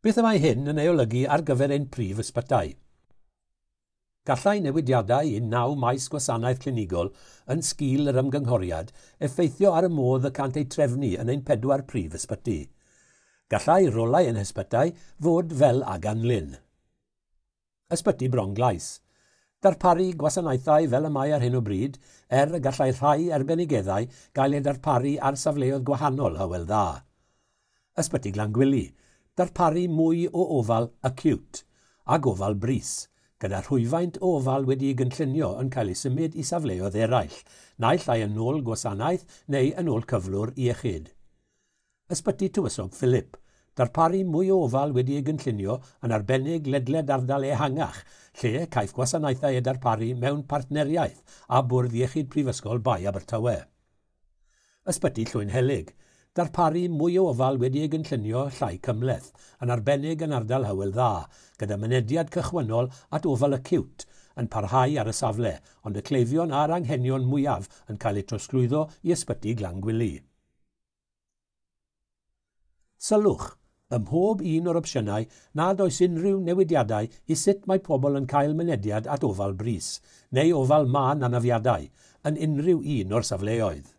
Beth y mae hyn yn ei olygu ar gyfer ein prif ysbytai? Gallai newidiadau i naw maes gwasanaeth clinigol yn sgil yr ymgynghoriad effeithio ar y modd y cant eu trefnu yn ein pedwar prif ysbyty. Gallai rolau ein hysbytai fod fel a ganlyn. Ysbyty Bronglais. Darparu gwasanaethau fel y mae ar hyn o bryd, er y gallai rhai arbenigeddau gael eu darparu ar safleoedd gwahanol Hywel Dda. Ysbyty Glangwili. Darparu mwy o ofal acute a gofal brys, gyda rhwyfaint o ofal wedi'i gynllunio yn cael ei symud i safleoedd eraill, naill ai yn ôl gwasanaeth neu yn ôl cyflwr iechyd. Ysbyty Tywysog Philip. Darparu mwy o ofal wedi ei gynllunio yn arbennig ledled ardal ehangach, lle caiff gwasanaethau eu darparu mewn partneriaeth â Bwrdd Iechyd Prifysgol Bae Abertawe. Ysbyty Llwynhelyg. Darparu mwy o ofal wedi ei gynllunio llai cymhleth, yn arbennig yn ardal Hywel Dda, gyda mynediad cychwynnol at ofal acute yn parhau ar y safle, ond y cleifion a'r anghenion mwyaf yn cael eu trosglwyddo i Ysbyty Glangwili. Sylwch, ym mhob un o'r opsiynau nad oes unrhyw newidiadau i sut mae pobl yn cael mynediad at ofal brys, neu ofal mân anafiadau, yn unrhyw un o'r safleoedd.